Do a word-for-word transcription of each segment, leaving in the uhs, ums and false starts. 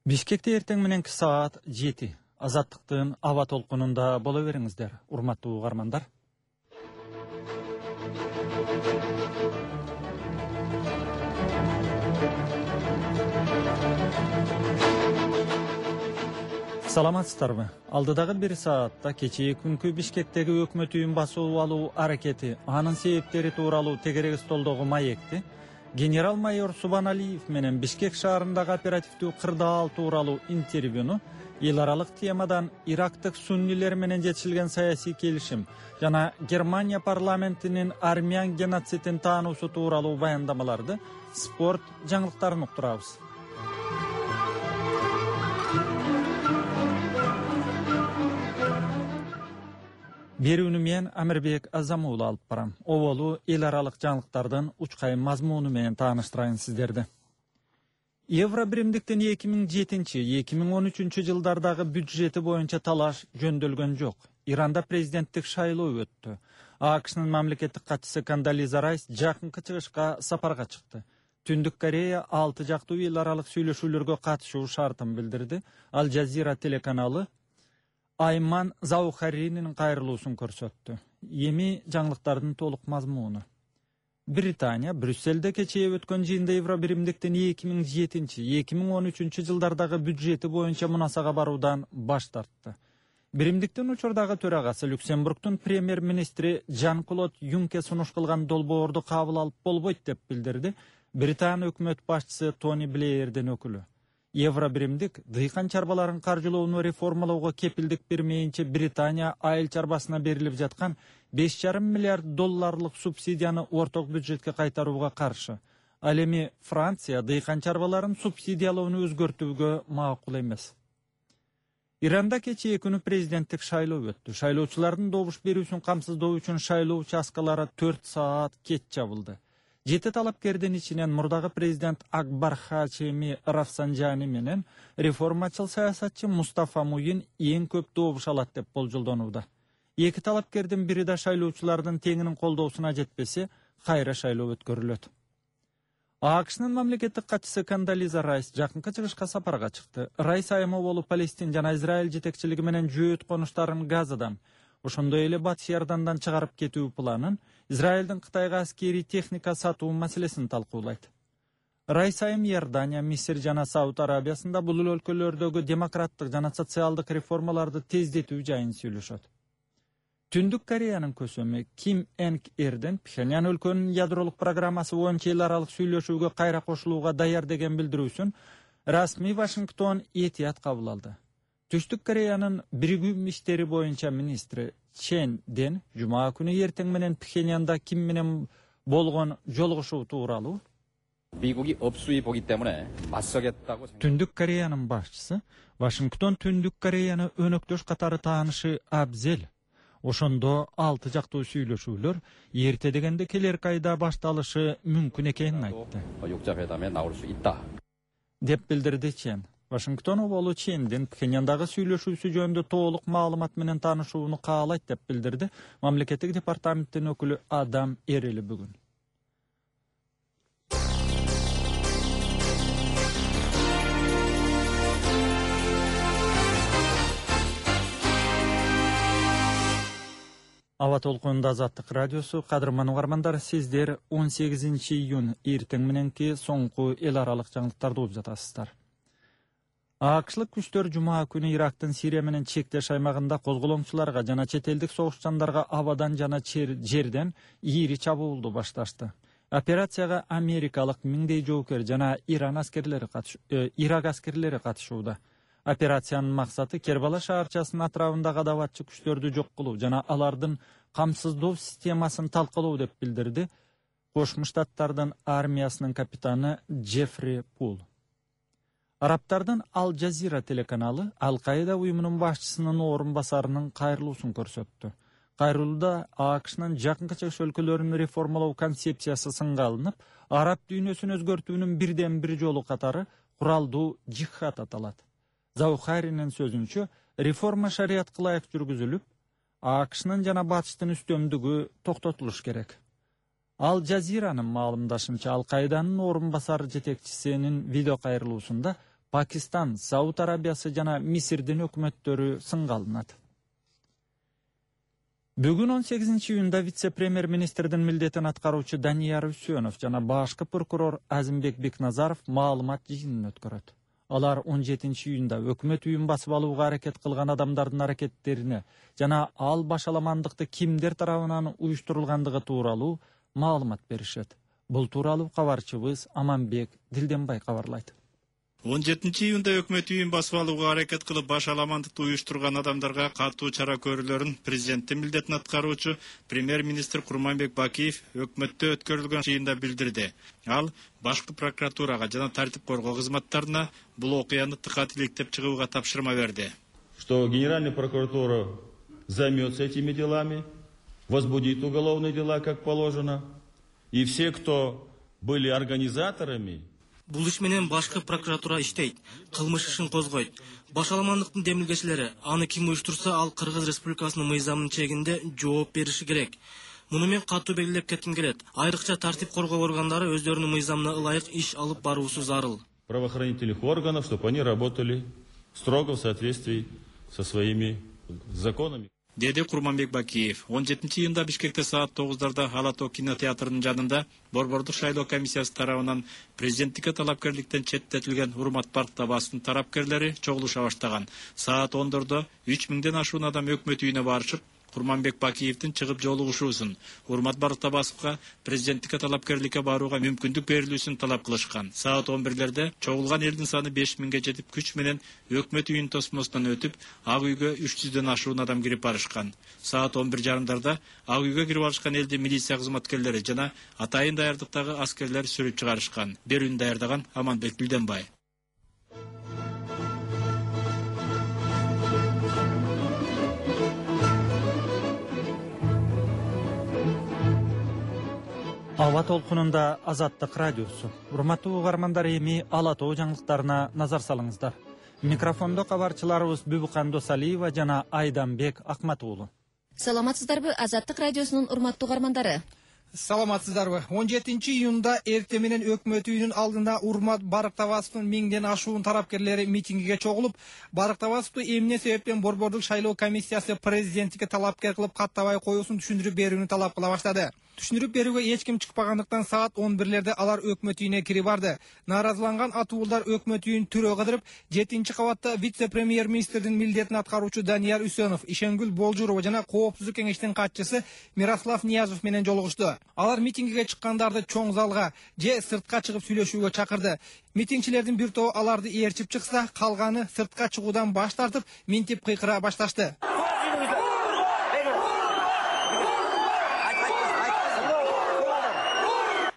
Бишкекте эртең мененки саат жети. Азаттыктын аба толкунунда боло бериңиздер, урматтуу угармандар. Саламатсыздарбы? Алдыдагы бир саатта кечээ күнкү Бишкектеги өкмөт үйүн басып алуу аракети, анын себептери тууралуу тегерек столдогу маекти генерал-майор Субаналиев менен Бишкек шаарындагы оперативдүү кырдаал тууралуу интервьюну, эл аралык темадан Ирактык суннилер менен жетишилген саясий келишим жана Германия парламентинин армян геноцидин таануусу тууралуу баяндамаларды, спорт жаңылыктарын уктурабыз. Берүүнү мен Амирбек Азамуулу алып барам. Оболу эл аралык жаңылыктардын учкай мазмуну менен тааныштырайын сиздерди. Евро биримдиктин эки миң жетинчи — эки миң он үчүнчү жылдардагы бюджети боюнча талаш жөндөлгөн жок. Иранда президенттик шайлоо өттү. АКШнын мамлекеттик катчысы Кондолиза Райс жакынкы чыгышка сапарга чыкты. Түндүк Корея алты жактуу эл аралык сүйлөшүүлөргө катышуу шартын билдирди. Ал Жазира телеканалы Айман Заухаринин кайрылуусун көрсөттү. Эми жаңылыктардын толук мазмуну. Британия Брюсселде кечээ өткөн жыйында евро биримдиктин эки миң жетинчи — эки миң он үчүнчү жылдардагы бюджети боюнча мунасага баруудан баш тартты. Биримдиктин учурдагы төрагасы Люксембургдун премьер-министри Жан-Клод Юнкер сунуш кылган долбоорду кабыл алып болбойт деп билдирди Британ өкмөт башчысы Тони Блеердин өкүлү. Евро биримдик дыйкан чарбаларын каржылоону реформалоого кепилдик бермейинче Британия айыл чарбасына берилип жаткан беш жарым миллиард долларлык субсидияны орток бюджетке кайтарууга каршы. Ал эми Франция дыйкан чарбаларын субсидиялоону өзгөртүүгө макул эмес. Иранда кечээ күнү президенттик шайлоо өттү. Шайлоочулардын добуш берүүсүн камсыздоо үчүн шайлоо участкалары төрт саат кеч жабылды. Жети талапкердин ичинен мурдагы президент Акбар Хачеми Рафсанжани менен реформачыл саясатчы Мустафа Муин эң көп добуш алат деп болжолдонууда. Эки талапкердин бири да шайлоочулардын теңинин колдоосуна жетпесе, кайра шайлоо өткөрүлөт. АКШнын мамлекеттик катчысы Кондолиза Райс жакынкы чыгышка сапарга чыкты. Райс айымы болуп Палестин жана Израиль жетекчилиги менен жөөт конуштарын Газадан, ошондой эле Батыш Иордандан чыгарып кетүү планын, Израилдин Кытайга аскери техника сатуу маселесин талкуулайт. Райс айым Иордания, Мисир жана Сауд Арабиясында бул өлкөлөрдөгү демократтык жана социалдык реформаларды тездетүү жайын сүйлөшөт. Түндүк Кореянын көсөмү Ким Энг Эрден Пхеньян өлкөнүн ядролук программасы боюнча эл аралык сүйлөшүүгө кайра кошулууга даяр деген билдирүүсүн расмий Вашингтон этият кабыл алды. Түштүк Кореянын биригүү иштери боюнча министри Чен Ден жума күнү эртең менен Пхеньянда Ким менен болгон жолугушуу тууралуу Түндүк Кореянын башчысы Вашингтон Түндүк Кореяны өнөктөш катары таанышы абзел. Ошондо алты жактуу сүйлөшүүлөр эрте дегенде келер айда башталышы мүмкүн экенин айтты. Деп билдирди Чен. Вашингтон оболу Чендин Пхеньяндагы сүйлөшүүсү жөнүндө толук маалымат менен таанышууну каалайт деп билдирди мамлекеттик департаменттин өкүлү Адам Эрели бүгүн. Аба толкунунда Азаттык радиосу, кадырман угармандар, сиздер он сегизинчи июнь эртең мененки соңку эл аралык жаңылыктарды угуп жатасыздар. АКШлык күчтөр жума күнү Ирактын Сирия менен чектеш аймагында козголоңчуларга жана чет элдик согушчандарга абадан жана жерден ийри чабуулду башташты. Операцияга америкалык миңдей жоокер жана Иран аскерлери катыш, э, Ирак аскерлери катышууда. Операциянын максаты Кербала шаарчасынын атрабындагы адабатчы күчтөрдү жок кылуу жана алардын камсыздоо системасын талкалоо деп билдирди Кошмо Штаттардын армиясынын капитаны Джеффри Пул. Арабтардын Ал Жазира телеканалы Ал-Каида уюмунун башчысынын орун басарынын кайрылуусун көрсөттү. Кайрылууда АКШнын жакынкы чыгыш өлкөлөрүн реформалоо концепциясы сынга алынып, араб дүйнөсүн өзгөртүүнүн бирден бир жолу катары куралдуу жихад аталат. Заухаринин сөзүнчө, реформа шариятка ылайык жүргүзүлүп, АКШнын жана батыштын үстөмдүгү токтотулуш керек. Ал Жазиранын маалымдашынча Ал-Каиданын орун басар жетекчисинин видео кайрылуусунда Пакистан, Сауд Арабиясы жана Мисирдин өкмөттөрү сынга алынат. Бүгүн он сегизинчи июнда вице-премьер-министрдин милдетин аткаруучу Данияр Үсөнов жана башкы прокурор Азимбек Бекназаров маалымат жыйынын өткөрөт. Алар он жетинчи июнда өкмөт үйүн басып алууга аракет кылган адамдардын аракеттерине жана ал башаламандыкты кимдер тарабынан уюштурулгандыгы тууралуу маалымат беришет. Бул тууралуу кабарчыбыз Аманбек Дилденбай кабарлайт. он жетинчи июнда өкмөт үйүн басып алууга аракет кылып башаламандыкты уюштурган адамдарга катуу чара көрүүлөрүн президенттин милдетин аткаруучу премьер-министр Курманбек Бакиев өкмөттө өткөрүлгөн жыйында билдирди. Ал башкы прокуратурага жана тартип коргоо кызматтарына бул окуяны тыкат иликтеп чыгууга тапшырма берди. Что Генеральная прокуратура займется этими делами, возбудит уголовные дела, как положено, и все, кто были организаторами. Бул иш менен башкы прокуратура иштейт, кылмыш ишин козгойт. Башаламандыктын демилгечилери аны ким уюштурса, ал Кыргыз Республикасынын мыйзамынын чегинде жооп бериши керек. Муну мен катуу белгилеп кетким келет. Айрыкча тартип коргоо органдары өздөрүнүн мыйзамына ылайык иш алып баруусу зарыл. Правоохранительных органов, чтобы они работали строго в соответствии со своими законами. Деди Курманбек Бакиев. он жетинчи июнда Бишкекте саат тогуздарда Алато кинотеатрынын жанында Борбордук шайлоо комиссиясы тарабынан президенттикке талапкерликтен четтетилген Урмат Барктабасовдун тарапкерлери чогулуша баштаган. Саат ондордо үч миңден ашуун адам өкмөт үйүнө барышып, Курманбек Бакиевдин чыгып жолугушуусун, Урмат Барктабасовго президенттикке талапкерликке барууга мүмкүндүк берилүүсүн талап кылышкан. Саат он бирлерде чогулган элдин саны беш миңге жетип, күч менен өкмөт үйүнүн тосмосунан өтүп, ак үйгө үч жүздөн ашуун адам кирип барышкан. Саат он бир жарымдарда ак үйгө кирип барышкан элди милиция кызматкерлери жана атайын даярдыктагы аскерлер сүрүп чыгарышкан. Берүүнү даярдаган Аманбек Дилденбай. Аба толкунунда Азаттык радиосу. Урматтуу угармандар, эми Ала Тоо жаңылыктарына назар салыңыздар. Микрофондо кабарчыларыбыз Бүбүкан Досалиева жана Айданбек Акматуулу. Саламатсыздарбы, Азаттык радиосунун урматтуу угармандары? Саламатсыздарбы. он жетинчи июнда эртең менен өкмөт үйүнүн алдында Урмат Барктабасовдун миңден ашуун тарапкерлери митингиге чогулуп, Барктабасовду эмне себептен Борбордук шайлоо комиссиясы президенттикке талапкер кылып каттабай коюусун түшүндүрүп берүүнү талап кыла баштады. Түшүндүрүп берүүгө эч ким чыкпагандыктан саат он бирлерде алар өкмөт үйүнө кирип барды. Нааразыланган атуулдар өкмөт үйүн түрөө кыдырып, жетинчи кабатта вице-премьер-министрдин милдетин аткаруучу Данияр Үсөнов, Ишенгүл Болжурова жана Коопсуздук кеңештин катчысы Мирослав Ниязов менен жолугушту. Алар митингиге чыккандарды чоң залга же сыртка чыгып сүйлөшүүгө чакырды. Митингчилердин бир тобу аларды ээрчип чыкса, калганы сыртка чыгуудан баш тартып, минтип кыйкыра башташты.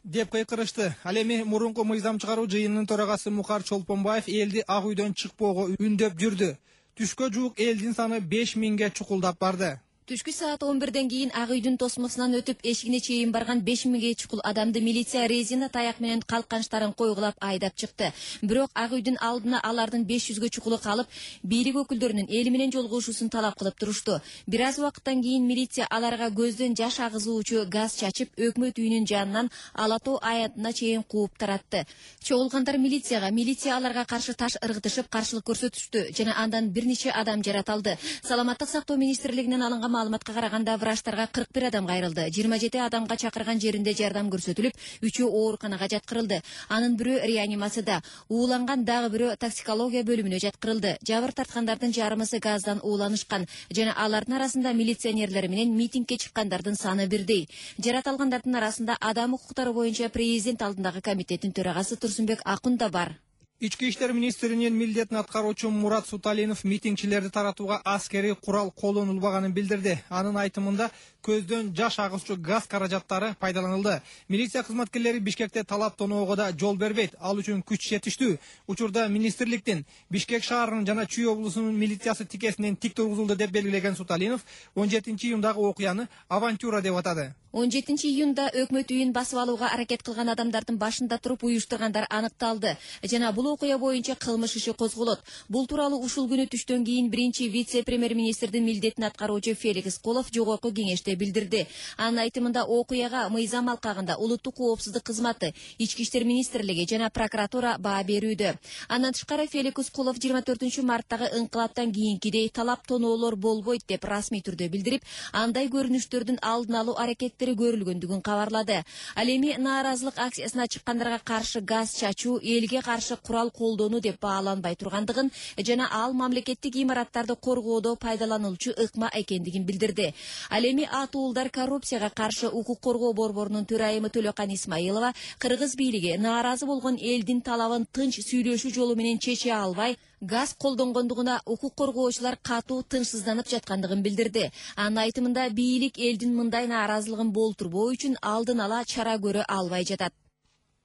деп кыйкырышты. Ал эми мурунку мыйзам чыгаруу жыйынынын төрагасы Мухар Чолпонбаев элди ак үйдөн чыкпоого үндөп жүрдү. Түшкө жуук элдин саны беш миңге чукулдап барды. Түшкү саат он бирден кийин ак үйдүн тосмосунан өтүп эшигине чейин барган беш миңге чукул адамды милиция резина таяк менен калканчтарын койгулап айдап чыкты. Бирок ак үйдүн алдына алардын беш жүзгө чукулу калып, бийлик өкүлдөрүнүн эли менен жолугушуусун талап кылып турушту. Бир аз убакыттан кийин милиция аларга көздөн жаш агызуучу газ чачып, өкмөт үйүнүн жанынан Ала Тоо аянтына чейин кууп таратты. Чогулгандар милицияга, милиция аларга каршы таш ыргытышып каршылык көрсөтүштү жана андан бир нече адам жаратылды. Саламаттык сактоо министрлигинен алынган маалыматка караганда врачтарга кырк бир адам кайрылды. жыйырма жети адамга чакырган жеринде жардам көрсөтүлүп, үчөө ооруканага жаткырылды. Анын бирөө реанимацияда, ууланган дагы бирөө токсикология бөлүмүнө жаткырылды. Жабыр тарткандардын жарымысы газдан ууланышкан жана алардын арасында милиционерлер менен митингге чыккандардын саны бирдей. Жаратылгандардын арасында адам укуктары боюнча президент алдындагы комитеттин төрагасы Турсунбек Акун да бар. Ички иштер министринин милдетин аткаруучу Мурат Суталинов митингчилерди таратууга аскерий курал колдонулбаганын билдирди. Анын айтымында көздөн жаш агызчу газ каражаттары пайдаланылды. Милиция кызматкерлери Бишкекте талап тоноого да жол бербейт. Ал үчүн күч жетиштүү. Учурда министрликтин Бишкек шаарынын жана Чүй облусунун милициясы тикесинен тик тургузулду деп белгилеген Суталинов он жетинчи июндагы окуяны авантюра деп атады. он жетинчи июнда өкмөт үйүн басып алууга аракет кылган адамдардын башында туруп уюштургандар аныкталды жана бул бул окуя боюнча кылмыш иши козголот. Бул тууралуу ушул күнү түштөн кийин биринчи вице-премьер-министрдин милдетин аткаруучу Феликс Колов жогорку кеңеште билдирди. Анын айтымында окуяга мыйзам алкагында улуттук коопсуздук кызматы, ички иштер министрлиги жана прокуратура баа берүүдө. Андан тышкары Феликс Колов жыйырма төртүнчү марттагы инкылаптан кийинкидей талап тоноолор болбойт деп расмий түрдө билдирип, андай көрүнүштөрдүн алдын алуу аракеттери көрүлгөндүгүн кабарлады. Ал эми нааразылык акциясына чыккандарга каршы газ чачуу элге каршы курал колдонуу деп бааланбай тургандыгын жана ал мамлекеттик имараттарды коргоодо пайдаланылчу ыкма экендигин билдирди. Ал эми атуулдар коррупцияга каршы укук коргоо борборунун төрайымы Төлөкан Исмаилова кыргыз бийлиги нааразы болгон элдин талабын тынч сүйлөшүү жолу менен чече албай, газ колдонгондугуна укук коргоочулар катуу тынчсызданып жаткандыгын билдирди. Анын айтымында бийлик элдин мындай нааразылыгын болтурбоо үчүн алдын ала чара көрө албай жатат.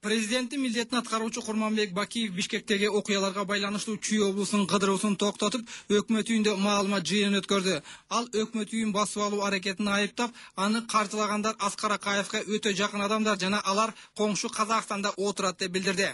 Президенттин милдетин аткаруучу Курманбек Бакиев Бишкектеги окуяларга байланыштуу Чүй облусунун кыдыруусун токтотуп, өкмөт үйүндө маалымат жыйынын өткөрдү. Ал өкмөт үйүн басып алуу аракетин айыптап, аны каржылагандар Аскар Акаевге өтө жакын адамдар жана алар коңшу Казакстанда отурат деп билдирди.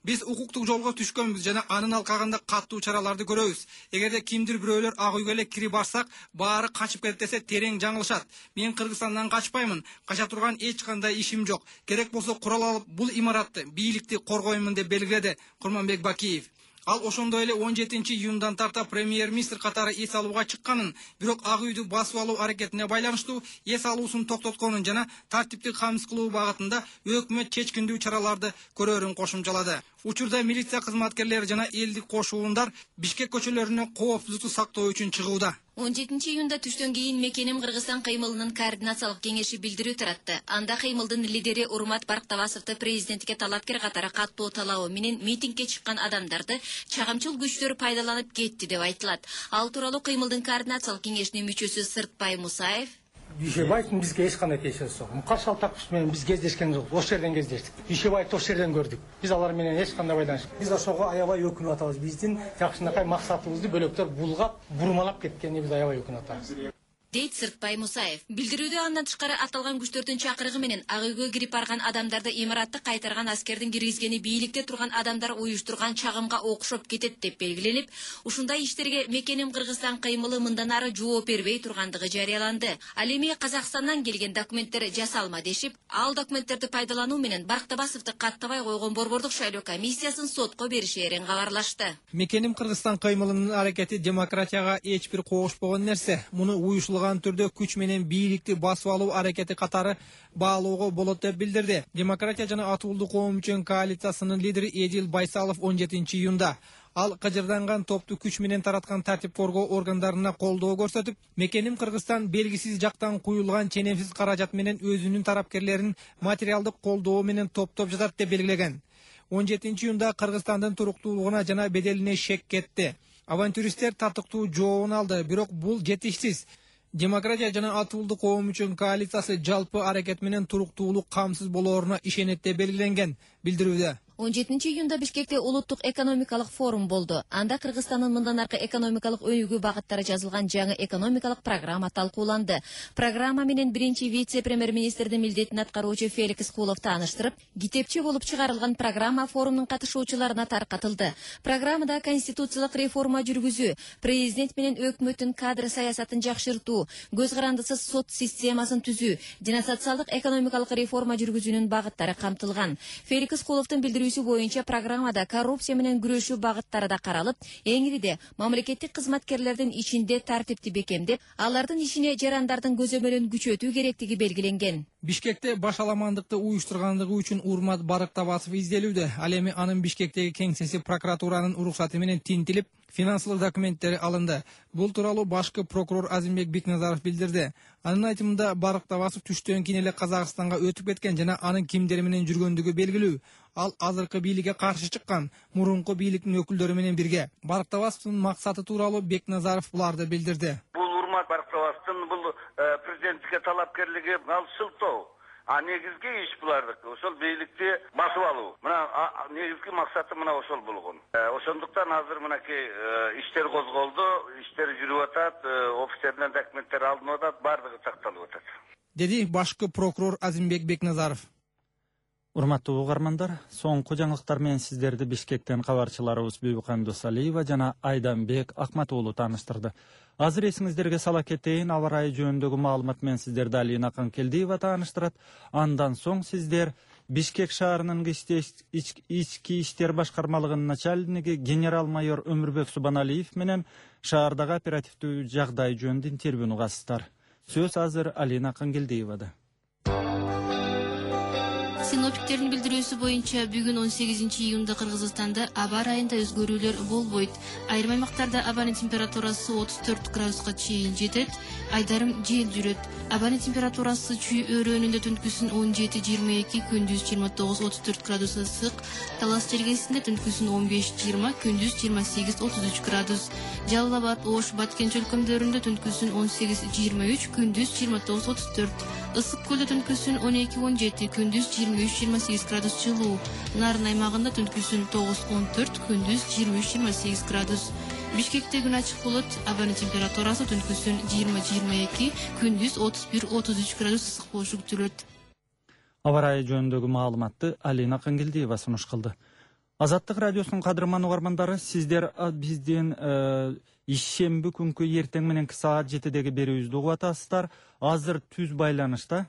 Биз укуктук жолго түшкөнбүз жана анын алкагында каттуу чараларды көрөбүз. Эгерде кимдир бирөөлөр ак үйгө эле кирип барсак, баары качып кетет десе терең жаңылышат. Мен Кыргызстандан качпаймын. Кача турган эч кандай ишим жок. Керек болсо курал алып бул имаратты, бийликти коргоймун деп белгиледи Курманбек Бакиев. Ал ошондой эле он жетинчи июндан тарта премьер-министр катары эс алууга чыкканын, бирок ак үйдү басып алуу аракетине байланыштуу эс алуусун токтотконун жана тартиптик камсыз кылуу багытында өкмөт чечкиндүү чараларды көрөрүн кошумчалады. Учурда милиция кызматкерлери жана элдик кошуундар Бишкек көчөлөрүнө коопсуздукту сактоо үчүн чыгууда. он жетинчи июнда түштөн кийин Мекеним Кыргызстан кыймылынын координациялык кеңеши билдирүү таратты. Анда кыймылдын лидери Урмат Барктабасовду президентке талапкер катары каттуу талабы менен митингге чыккан адамдарды чагымчыл күчтөр пайдаланып кетти деп айтылат. Ал тууралуу кыймылдын координациялык кеңешинин мүчөсү Сыртбай Мусаев Дүйшөбаевдин бизге эч кандай тиешеси жок. Каршы Алтаков менен биз кездешкен жок. Ошол жерден кездештик. Дүйшөбаевди ошол жерден көрдүк. Биз алар менен эч кандай байланыш. Биз ошого аябай өкүнүп атабыз. Биздин жакшынакай максатыбызды бөлөктөр булгап, бурмалап кеткенине биз аябай өкүнүп атабыз. дейт Сыртбай Мусаев. Билдирүүдө андан тышкары аталган күчтөрдүн чакырыгы менен ак үйгө кирип барган адамдарды имаратты кайтарган аскердин киргизгени бийликте турган адамдар уюштурган чагымга окшоп кетет деп белгиленип, ушундай иштерге Мекеним Кыргызстан кыймылы мындан ары жооп бербей тургандыгы жарыяланды. Ал эми Казакстандан келген документтер жасалма дешип, ал документтерди пайдалануу менен Барктабасовду каттабай койгон борбордук шайлоо комиссиясын сотко беришээрин кабарлашты. Мекеним Кыргызстан кыймылынын аракети демократияга эч бир когушпогон нерсе. Муну уюшулган түрдө күч менен бийликти басып алуу аракети катары баалоого болот деп билдирди. Демократия жана Атуулдук коом үчүн коалициясынын лидери Эдил Байсалов он жетинчи июнда ал кыжырданган топту күч менен тараткан тартип коргоо органдарына колдоо көрсөтүп, Мекеним Кыргызстан белгисиз жактан куюлган ченемсиз каражат менен өзүнүн тарапкерлерин материалдык колдоо менен топтоп жатат деп белгилеген. он жетинчи июнда Кыргызстандын туруктуулугуна жана беделине шек кетти. Авантюристтер тартыктуу жообун алды, бирок бул жетишсиз. Демократия жана Атуулдук коом үчүн коалициясы жалпы аракет менен туруктуулук камсыз болооруна ишенет деп белгиленген билдирүүдө. он жетинчи июнда Бишкекте улуттук экономикалык форум болду. Анда Кыргызстандын мындан аркы экономикалык өнүгүү багыттары жазылган жаңы экономикалык программа талкууланды. Программа менен биринчи вице-премьер-министрдин милдетин аткаруучу Феликс Колов тааныштырып, китепче болуп чыгарылган программа форумдун катышуучуларына таркатылды. Программада конституциялык реформа жүргүзүү, президент менен өкмөттүн кадр саясатын жакшыртуу, көз карандысыз сот системасын түзүү жана социалдык экономикалык реформа жүргүзүүнүн багыттары камтылган. Феликс Коловдун билдирүүсү боюнча программада коррупция менен күрөшүү багыттары да каралып, эңириде мамлекеттик кызматкерлердин ичинде тартипти бекемдеп, алардын ишине жарандардын көзөмөлүн күчөтүү керектиги белгиленген. Бишкекте башаламандыкты уюштургандыгы үчүн Урмат Барктабасов изделүүдө. Ал эми анын Бишкектеги кеңсеси прокуратуранын уруксаты менен тинтилип, финансылык документтери алынды. Бул тууралуу башкы прокурор Азимбек Бекназаров билдирди. Анын айтымында Барктабасов түштөн кийин эле Казакстанга өтүп кеткен жана анын кимдер менен жүргөндүгү белгилүү. Ал азыркы бийликке каршы чыккан, мурунку бийликтин өкүлдөрү менен бирге. Барктабасовдун максаты тууралуу Бекназаров буларды билдирди. Бул Урмат Барктабасовдун бул президенттикке талапкерлиги ал шылтоо. А негизги иш булардык. Ошол бийликти басып алуу. Мына негизги максаты мына ошол болгон. Ошондуктан азыр мынакей иштер козголду, иштер жүрүп атат, офицерден документтер алынып атат, бардыгы сакталып атат. Деди башкы прокурор Азимбек Бекназаров. Урматтуу угармандар, соңку жаңылыктар менен сиздерди Бишкектен кабарчыларыбыз Бүйбүкан Досалиева жана Айданбек Акматуулу тааныштырды. Азыр эсиңиздерге сала кетейин, аба ырайы жөнүндөгү маалымат менен сиздерди Алина Канкелдиева тааныштырат. Андан соң сиздер Бишкек шаарынын ички иштер башкармалыгынын начальниги генерал-майор Өмүрбек Субаналиев менен шаардагы оперативдүү жагдай жөнүндө интервьюну угасыздар. Сөз азыр Алина Канкелдиевада. Синоптиктердин билдирүүсү боюнча бүгүн он сегизинчи июнда Кыргызстанда аба ырайында өзгөрүүлөр болбойт. Айрым аймактарда абанын температурасы отуз төрт градуска чейин жетет, айдарым жел жүрөт. Абанын температурасы чүй өрөөнүндө түнкүсүн он жети жыйырма эки, күндүз жыйырма тогуз отуз төрт градус ысык, Талас жергесинде түнкүсүн он беш жыйырма, күндүз жыйырма сегиз отуз үч градус. Жалал Абад, Ош, Баткен чөлкөмдөрүндө түнкүсүн он сегиз жыйырма үч, күндүз жыйырма тогуз отуз төрт. Ысык көлдө түнкүсүн он эки он жети, күндүз жыйырма үч жыйырма сегиз градус жылуу. Нарын аймагында түнкүсүн тогуз он төрт, күндүз жыйырма үч жыйырма сегиз градус. Бишкекте күн ачык болот, абанын температурасы түнкүсүн жыйырма жыйырма эки, күндүз отуз бир отуз үч градус ысык болушу күтүлөт. Аба ырайы жөнүндөгү маалыматты Алина Кангелдиева сунуш кылды. Азаттык радиосунун кадырман угармандары, сиздер биздин ишемби күнкү эртең мененки саат жетидеги берүүбүздү угуп атасыздар. Азыр түз байланышта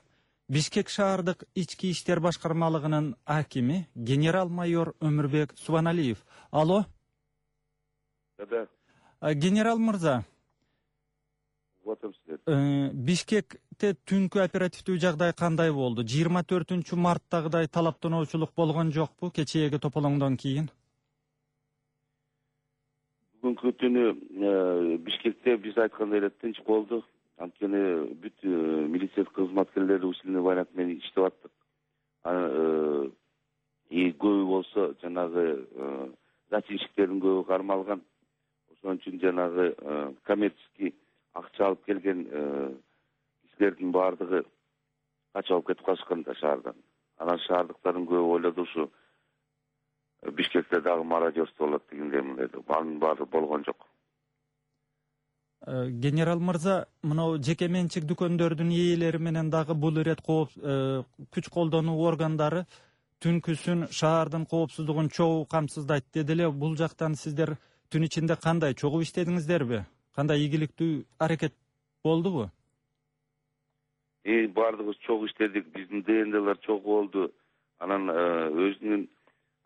Бишкек шаардык ички иштер башкармалыгынын акими генерал-майор Өмүрбек Субаналиев. Алло. Да. Генерал мырза. Бишкекте түнкү оперативдүү жагдай кандай болду? жыйырма төртүнчү марттагыдай талаптануучулук болгон жокпу кечээги тополоңдон кийин? Бүгүнкү түнү Бишкекте биз айткандай эле тынч болду. Анткени бүт милиция кызматкерлери усиленный вариант менен иштеп аттык. И көбү болсо жанагы зачинщиктердин көбү кармалган. Ошон үчүн жанагы коммерческий акча алып келген кишилердин баардыгы качып алып кетип калышкан да шаардан. Анан шаардыктардын көбү ойлоду ушу Бишкекте дагы мародерство болот дегендей мындай. Анын баары болгон жок. Генерал мырза, мына жеке менчик дүкөндөрдүн ээлери менен дагы бул ирет кооп күч колдонуу органдары түнкүсүн шаардын коопсуздугун чогуу камсыздайт деди эле. Бул жактан сиздер түн ичинде кандай чогуу иштедиңиздерби? Кандай ийгиликтүү аракет болдубу? Э, баардыгыбыз чогуу иштедик. Биздин ДНДлар чогуу болду. Анан өзүнүн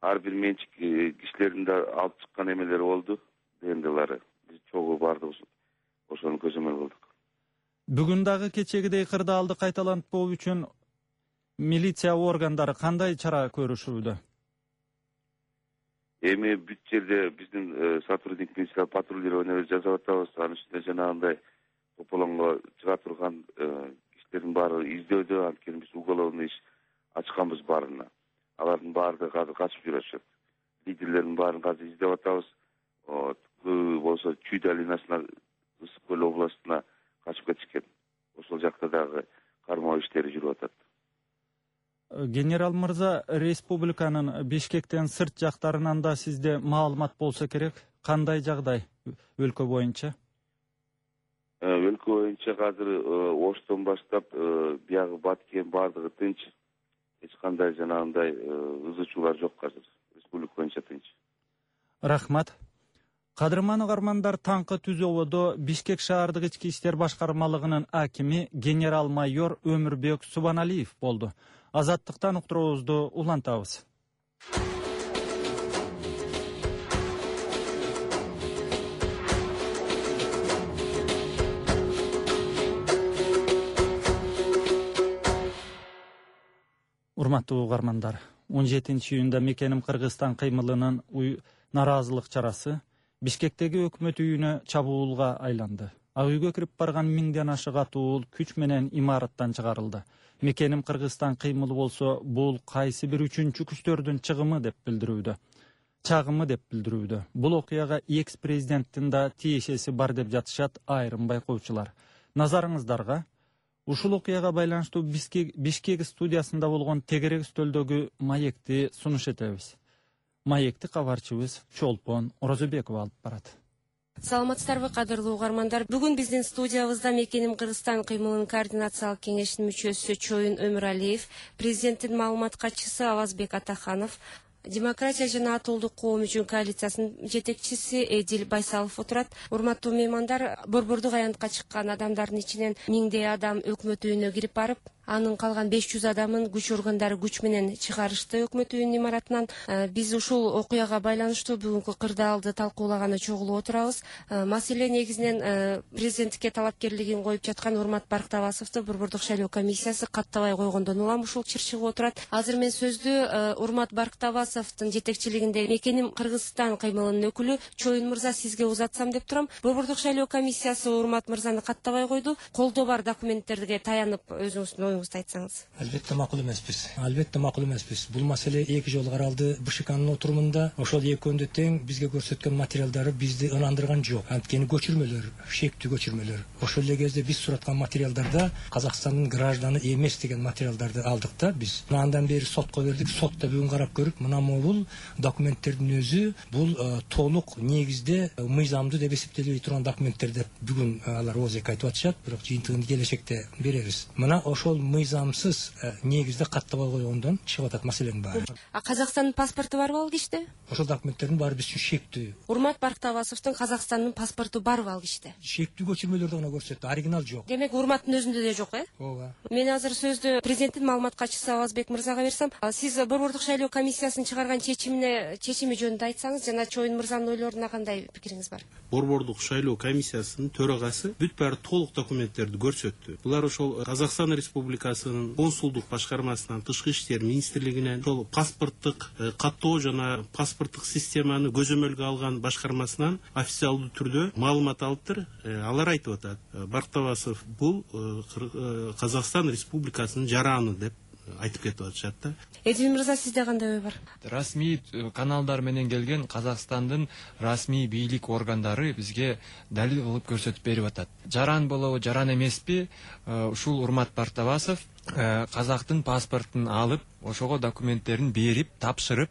ар бир менчик кишилердин да алып чыккан эмелери болду, ДНДлары. Биз чогуу баардыгыбыз ошону көзөмөл кылдык. Бүгүн дагы кечегидей кырдаалды кайталантпоо үчүн милиция органдары кандай чара көрүшүүдө? Эми бүт жерде биздин сотрудник милиция патрулирование жасап атабыз. Анын үстүнө жанагындай тополоңго чыга турган кишилердин баары издөөдө, анткени биз уголовный иш ачканбыз баарына. Алардын баардыгы азыр качып жүрүшөт. Лидерлердин баарын азыр издеп атабыз. Көбү болсо Чүй долинасына, Ысык көл областына качып кетишкен. Ошол жакта дагы кармоо иштери жүрүп атат. Генерал мырза, республиканын Бишкектен сырт жактарынан да сизде маалымат болсо керек. Кандай жагдай өлкө боюнча? Өлкө боюнча азыр Оштон баштап биягы Баткен баардыгы тынч. Эч кандай жанагындай ызы чуулар жок азыр. Республика боюнча тынч. Рахмат. Кадырман угармандар, таңкы түз ободо Бишкек шаардык ички иштер башкармалыгынын акими генерал-майор Өмүрбек Субаналиев болду. Азаттыктан уктуруубузду улантабыз. Урматтуу угармандар, он жетинчи июнда Мекеним Кыргызстан кыймылынын нараазылык чарасы Бишкектеги өкмөт үйүнө чабуулга айланды. Ак үйгө кирип барган миңден ашык атуул күч менен имараттан чыгарылды. Мекеним Кыргызстан кыймылы болсо, бул кайсы бир үчүнчү күчтөрдүн чыгымы деп билдирүүдө. Чагымы деп билдирүүдө. Бул окуяга экс-президенттин да тиешеси бар деп жатышат айрым байкоочулар. Назарыңыздарга ушул окуяга байланыштуу Бишкек студиясында болгон тегерек стөлдөгү маекти сунуш этебиз. Маекти кабарчыбыз Чолпон Орозобекова алып барат. Саламатсыздарбы, кадырлуу угармандар. Бүгүн биздин студиябызда Мекеним Кыргызстан кыймылынын координациялык кеңешинин мүчөсү Чоюн Өмүралиев, президенттин маалымат катчысы Авазбек Атаханов, Демократия жана Атуулдук коом үчүн коалициясынын жетекчиси Эдил Байсалов отурат. Урматтуу меймандар, борбордук аянтка чыккан адамдардын ичинен миңдей адам өкмөт үйүнө кирип барып, анын калган беш жүз адамын күч органдары күч менен чыгарышты өкмөт үйүнүн имаратынан. Биз ушул окуяга байланыштуу бүгүнкү кырдаалды талкуулаганы чогулуп отурабыз. Маселе негизинен президенттикке талапкерлигин коюп жаткан Урмат Барктабасовду борбордук шайлоо комиссиясы каттабай койгондон улам ушул чыр чыгып отурат. Азыр мен сөздү Урмат Барктабасовдун жетекчилигинде Мекеним Кыргызстан кыймылынын өкүлү Чоюн мырза сизге узатсам деп турам. Борбордук шайлоо комиссиясы Урмат мырзаны каттабай койду. Колдо бар документтерге таянып өзүңүздүн оюңузду айтсаңыз. Албетте макул эмеспиз. Албетте макул эмеспиз. Бул маселе эки жолу каралды БШКнын отурумунда. Ошол экөөнү тең бизге көрсөткөн материалдары бизди ынандырган жок. Анткени көчүрмөлөр, шектүү көчүрмөлөр. Ошол эле кезде биз сураткан материалдарда Казакстандын гражданы эмес деген материалдарды алдык да биз. Андан бери сотко бердик. Сот да бүгүн карап көрүп, мына бул документтердин өзү бул толук негизде мыйзамдуу деп эсептелбей турган документтер деп бүгүн алар ооз-эки айтып атышат, бирок жыйынтыгын келечекте беребиз. Мына ошол мыйзамсыз негизде каттабай койгондон чыгып атат маселенин баары. А Казакстандын паспорту барбы ал киште? Ошол документтердин баары биз үчүн шектүү. Урмат Барктабасовдун Казакстандын паспорту барбы ал киште? Шектүү көчүрмөлөрдү гана көрсөттү, оригинал жок. Демек Урматтын өзүндө да жок, э? Ооба. Мен азыр сөздү президенттин маалымат катчысы Авазбек мырзага берсем, сиз борбордук шайлоо комиссиясынын чыгарган чечимине чечими жөнүндө айтсаңыз, жана Чоюн мырзанын ойлоруна кандай пикириңиз бар? Борбордук шайлоо комиссиясынын төрагасы бүт баары толук документтерди көрсөттү. Булар ошол Казакстан Республикасынын консулдук башкармасынан, тышкы иштер министрлигинен, ошол паспорттук каттоо жана паспорттук системаны көзөмөлгө алган башкармасынан официалдуу түрдө маалымат алыптыр. Алар айтып атат, Барктабасов бул Казакстан Республикасынын жараны деп айтып кетип атышат да. Эдил мырза, сизде кандай ой бар? Расмий каналдар менен келген Казакстандын расмий бийлик органдары бизге далил кылып көрсөтүп берип атат. Жаран болобу, жаран эмеспи, ушул Урмат Барктабасов казактын паспортун алып, ошого документтерин берип, тапшырып,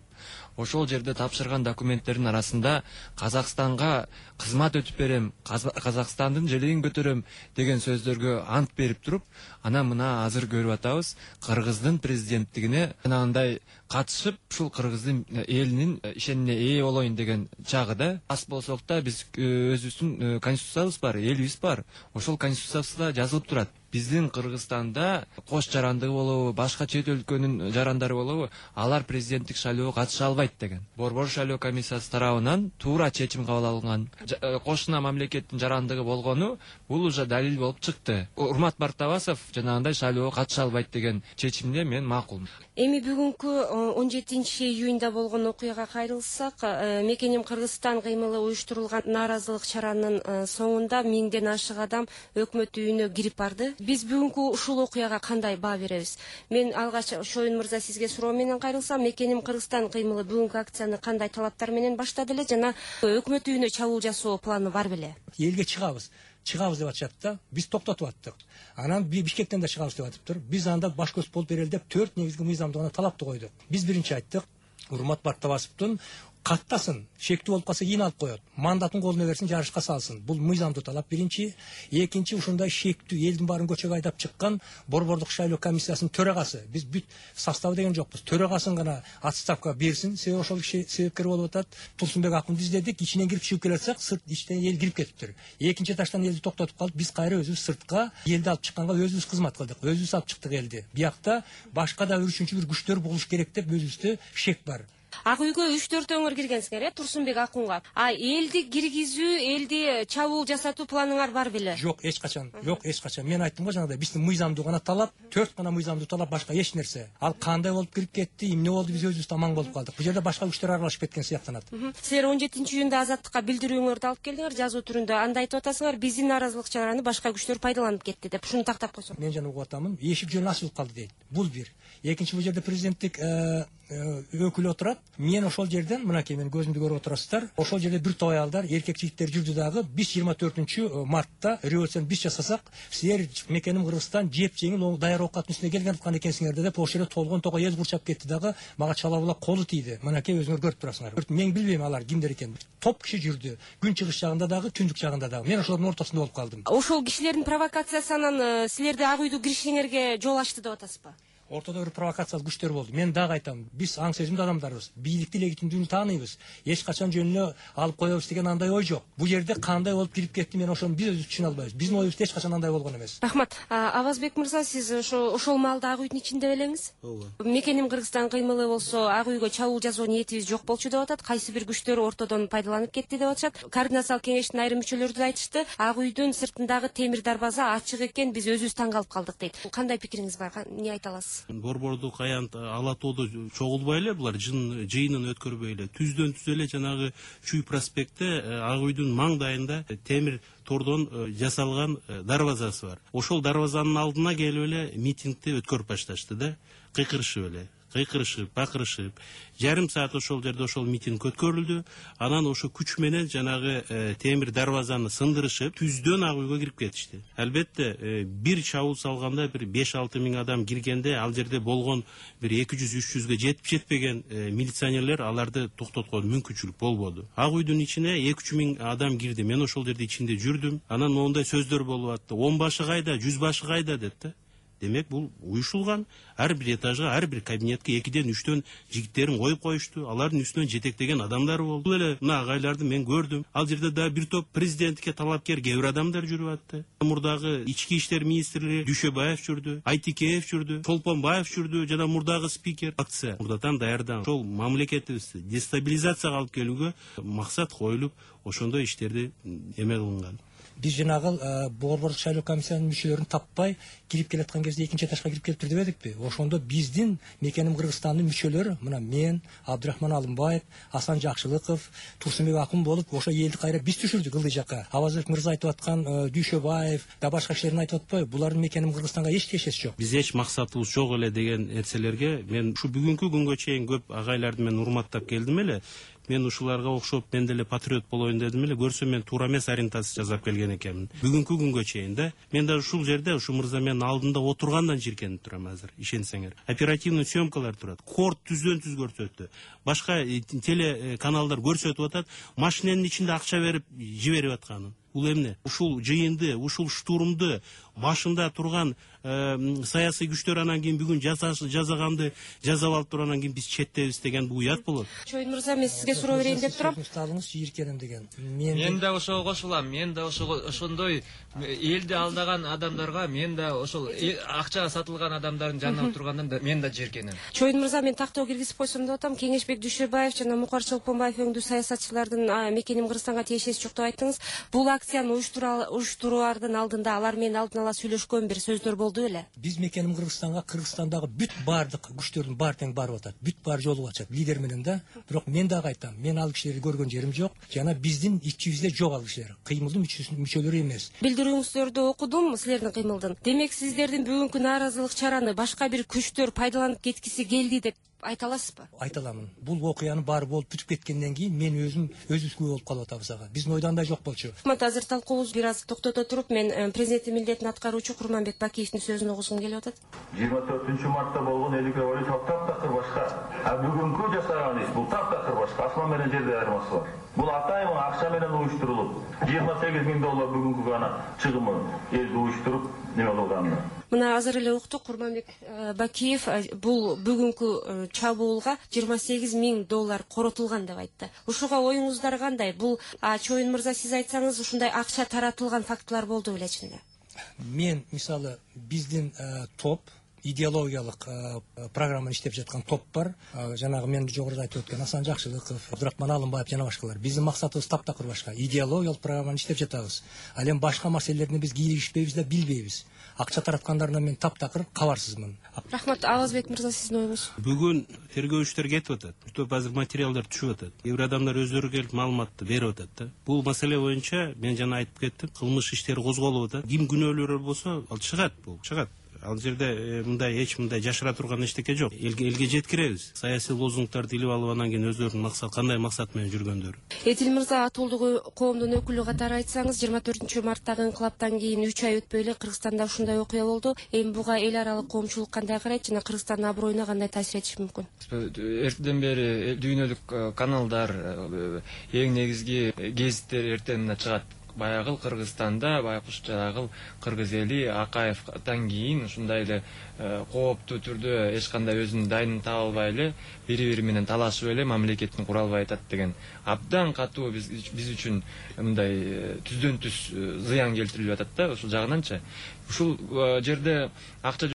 ошол жерде тапшырган документтердин арасында Казакстанга кызмат өтүп берем, Казакстандын желегин көтөрөм деген сөздөргө ант берип туруп, ана мына азыр көрүп атабыз, Кыргыздын президенттигине анандай катышып, ушул Кыргыздын элинин ишенимине ээ болоюн деген чагыда. Аз болсок да биз өзүбүздүн конституциябыз бар, элибиз бар. Ошол конституциябызда жазылып турат. Биздин Кыргызстанда кош жарандыгы болобу, башка чет өлкөнүн жарандары болобу, алар президенттик шайлоого катыша албайт деген. Борбор шайлоо комиссиясы тарабынан туура чечим кабыл алынган. Кошуна мамлекеттин жарандыгы болгону бул уже далил болуп чыкты. Урмат Барктабасов жанагындай шайлоого катыша албайт деген чечимге мен макулмун. Эми бүгүнкү он жетинчи июнда болгон окуяга кайрылсак, Мекеним Кыргызстан кыймылы уюштурулган нааразылык чаранын соңунда миңден ашык адам өкмөт үйүнө кирип барды. Биз бүгүнкү ушул окуяга кандай баа беребиз? Мен алгач Чоюн мырза сизге суроо менен кайрылсам, Мекеним Кыргызстан кыймылы бүгүнкү акцияны кандай талаптар менен баштады эле жана өкмөт үйүнө чабуул жасоо планы бар беле? Элге чыгабыз. Чыгабыз деп атышат да, биз токтотуп аттык. Анан Бишкектен да чыгабыз деп атыптыр. Биз анда баш көз болуп берели деп төрт негизги мыйзамдуу гана талапты койдук. Биз биринчи айттык, Урмат Барктабасовдун каттасын, шектүү болуп калса кийин алып коет. Мандатын колуна берсин, жарышка салсын. Бул мыйзамдуу талап биринчи. Экинчи, ушундай шектүү элдин баарын көчөгө айдап чыккан борбордук шайлоо комиссиясынын төрагасы. Биз бүт составы деген жокпуз. Төрагасын гана отставка берсин. Себеби ошол киши себепкер болуп атат. Турсунбек Акунду издедик, ичинен кирип чыгып келе жатсак, сырт иштен эл кирип кетиптир. Экинчи таштан элди токтотуп калып, биз кайра өзүбүз сыртка элди алып чыкканга өзүбүз кызмат кылдык. Өзүбүз алып чыктык элди. Биякта башка да үчүнчү бир күчтөр болуш керек деп өзүбүздө шек бар. Ак үйгө үч төрт өңүр киргенсиңер, э, Турсунбек Акунга. А элди киргизүү, элди чабуул жасатуу планыңар бар беле? Жок, эч качан. Жок, эч качан. Мен айттым го жанагыдай, биздин мыйзамдуу гана талап, төрт гана мыйзамдуу талап, башка эч нерсе. Ал кандай болуп кирип кетти, эмне болду, биз өзүбүз аман болуп калдык. Бул жерде башка күчтөр аралашып кеткен сыяктанат. Силер он жетинчи июнда азаттыкка билдирүүңөрдү алып келдиңер, жазуу түрүндө. Анда айтып атасыңар, биздин нааразылык чараны башка күчтөр пайдаланып кетти деп. Ушуну тактап койсоң. Мен жана угуп атамын, эшик жөн ачылып калды дейт. Бул бир. Экинчи, бул жерде президенттик өкүлү отурат. Мен ошол жерден мынакей мен көзүмдү көрүп отурасыздар. Ошол жерде бир топ аялдар, эркек жигиттер жүрдү дагы. Биз жыйырма төртүнчү мартта революцияны биз жасасак, силер мекеним Кыргызстан жеп жеңил даяр оокаттын үстүнө келген аткан экенсиңер деп ошол жерде толгон того эл курчап кетти дагы. Мага чала-була колу тийди. Мынакей өзүңөр көрүп турасыңар. Мен билбейм алар кимдер экен. Топ киши жүрдү. Күн чыгыш жагында дагы, түндүк жагында дагы. Мен ошолордун ортосунда болуп калдым. Ошол кишилердин провокациясынан силерди ак үйдү киришиңерге жол ачты деп атасызбы? Ортодо бир провокациялык күчтөр болду. Мен дагы айтам, биз аң сезимдүү адамдарбыз. Бийликти легитимдүүлүгүн тааныйбыз. Эч качан жөнүнө алып коебуз деген андай ой жок. Бул жерде кандай болуп кирип кетти, мен ошону биз өзүбүз түшүнө албайбыз. Биздин оюбузда эч качан андай болгон эмес. Рахмат. Авазбек мырза, сиз ошо ошол маалда ак үйдүн ичинде белеңиз? Ооба. Мекеним Кыргызстан кыймылы болсо ак үйгө чабуул жасоо ниетибиз жок болчу деп атат. Кайсы бир күчтөр ортодон пайдаланып кетти деп атышат. Координациялык кеңештин айрым мүчөлөрү да айтышты. Ак үйдүн сыртындагы темир дарбаза ачык экен, биз өзүбүз таң калып калдык дейт. Кандай пикириңиз бар? Эмне айта аласыз? Борбордук аянт ала тоодо чогулбай эле булар жыйынын өткөрбөй эле түздөн түз эле жанагы Чүй проспектте ак үйдүн маңдайында темир тордон жасалган дарбазасы бар. Ошол дарбазанын алдына келип эле митингди өткөрүп башташты да, кыйкырышып эле кыйкырышып, бакырышып, жарым саат ошол жерде ошол митинг өткөрүлдү. Анан ошо күч менен жанагы темир дарбазаны сындырышып, түздөн ак үйгө кирип кетишти. Албетте, бир чабуул салганда бир беш алты миң адам киргенде, ал жерде болгон бир эки жүз үч жүзгө жетип жетпеген милиционерлер аларды токтоткон мүмкүнчүлүк болбоду. Ак үйдүн ичине эки үч миң адам кирди. Мен ошол жерде ичинде жүрдүм. Анан мондай сөздөр болуп атты. он башы кайда, жүз башы кайда деп да. Демек бул уюшулган. Ар бир этажга, ар бир кабинетке экиден үчтөн жигиттерин коюп коюшту. Алардын үстүнөн жетектеген адамдар болду. Бул эле мына агайларды мен көрдүм. Ал жерде да бир топ президентке талапкер кээ бир адамдар жүрүп атты. Мурдагы ички иштер министри Дүйшөбаев жүрдү, Айтикеев жүрдү, Чолпонбаев жүрдү, жана мурдагы спикер. Акция мурдатан даярдан ошол мамлекетибизди дестабилизацияга алып келүүгө максат коюлуп, ошондой иштерди эме кылынган. Биз жанагы борбордук шайлоо комиссиянын мүчөлөрүн таппай кирип келаткан кезде экинчи этажга кирип келиптир дебедикпи? Ошондо биздин мекеним Кыргызстандын мүчөлөрү, мына мен, Абдрахман Алымбаев, Асан Жакшылыков, Турсунбек Акын болуп, ошо элди кайра биз түшүрдүк ылдый жакка. Авазбек мырза айтып аткан Дүйшөбаев да башка кишилерин айтып атпайбы? Булардын мекеним Кыргызстанга эч тиешеси жок. Биз эч максатыбыз жок эле деген нерселерге мен ушу бүгүнкү күнгө чейин көп агайларды мен урматтап келдим эле. Мен ушуларга окшоп мен деле патриот болоюн дедим эле. Көрсөм мен туура эмес ориентация жасап келген экенмин. Бүгүнкү күнгө чейин да. Мен да ушул жерде ушу мырза менин алдында отургандан жиркенип турам азыр, ишенсеңер. Оперативный съемкалар турат. Корт түздөн түз көрсөттү. Башка телеканалдар көрсөтүп атат, машинанын ичинде акча берип жиберип атканын. Бул эмне? Ушул жыйынды, ушул штурмду башында турган саясий күчтөр анан кийин бүгүн жазаганды жазап алып туруп анан кийин биз четтебиз деген бул уят болот. Чоюн мырза, мен сизге суроо берейин деп турам. Сталыңыз жийиркеним деген. Мен да ошого кошулам. Мен да ошондой элди алдаган адамдарга, мен да ошол акчага сатылган адамдардын жанында тургандан да мен да жиркенем. Чоюн мырза, мен тактоо киргизип койсом деп атам. Кеңешбек Дүйшөбаев жана Мукар Чолпонбаев өңдүү саясатчылардын мекеним Кыргызстанга тиешеси жок деп айттыңыз. Бул акцияны уюштуруулардын алдында алар менен алдын ала сүйлөшкөн бир сөздөр болду эле. Биз мекеним Кыргызстанга Кыргызстандагы бүт бардык күчтөрдүн баары тең барып атат. Бүт баары жолугуп атышат лидер менен да. Бирок мен дагы айтам, мен ал кишилерди көргөн жерим жок. Жана биздин ичибизде жок ал кишилер. Кыймылдын мүчөлөрү эмес. Билдирүүңүздөрдү окудум силердин кыймылдын. Демек сиздердин бүгүнкү нааразылык чараны башка бир күчтөр пайдаланып кеткиси келди деп айта аласызбы? Айта аламын. Бул окуянын баары болуп бүтүп кеткенден кийин мен өзүм өзүбүз күбө болуп калып атабыз ага. Биздин ойдон андай жок болчу. Рахмат, азыр талкуубузду бир аз токтото туруп, мен президенттин милдетин аткаруучу Курманбек Бакиевдин сөзүн угушкум келип атат. жыйырма төртүнчү мартта болгон элдик революция таптакыр башка. А бүгүнкү жасаган иш бул таптакыр башка. Асман менен жерде айырмасы бар. Бул атайын акча менен уюштурулуп, жыйырма сегиз миң доллар бүгүнкү гана чыгымы элди уюштуруп неме кылган. Мына азыр эле уктук, Курманбек Бакиев бул бүгүнкү чабуулга жыйырма сегиз миң доллар коротулган деп айтты. Ушуга оюңуздар кандай? Бул Чоюн мырза, сиз айтсаңыз, ушундай акча таратылган фактылар болду беле чынында? Мен мисалы биздин топ идеологиялык программаны иштеп жаткан топ бар. Жанагы мен жогоруда айтып өткөн Асан Жакшылыков, Абдрахман Алымбаев жана башкалар. Биздин максатыбыз таптакыр башка. Идеологиялык программаны иштеп жатабыз. Ал эми башка маселелерди биз кийлигишпейбиз да билбейбиз. Акча тараткандарынан мен таптакыр кабарсызмын. Рахмат, Авазбек мырза, сиздин оюңуз? Бүгүн тергөөчүлөр кетип атат. Көп азыр материалдар түшүп атат. Кээ бир адамдар өздөрү келип маалыматты берип атат да. Бул маселе боюнча мен жана айтып кеттим, кылмыш иштери козголуп атат. Ким күнөөлүү болсо, ал чыгат, бул чыгат. Ал жерде мындай эч мындай жашыра турган эчтеке жок. Элге элге жеткиребиз. Саясий лозунгдарды илип алып анан кийин өздөрүнүн максат кандай максат менен жүргөндөрү. Этил мырза, Атуулдук коомдун өкүлү катары айтсаңыз, жыйырма төртүнчү марттагы инкылаптан кийин үч ай өтпөй эле Кыргызстанда ушундай окуя болду. Эми буга эл аралык коомчулук кандай карайт жана Кыргызстандын аброюна кандай таасир этиши мүмкүн? Эртеден бери дүйнөлүк каналдар, эң негизги гезиттер эртең чыгат. Баягыл Кыргызстанда, байкуш жанагыл кыргыз эли Акаевтан кийин ушундай эле кооптуу түрдө эч кандай өзүнүн дайынын таба албай эле бири-бири менен талашып эле мамлекетин кура албай атат деген абдан катуу биз биз үчүн мындай түздөн түз зыян келтирилип атат да. Ушул жагынанчы ушул жерде акча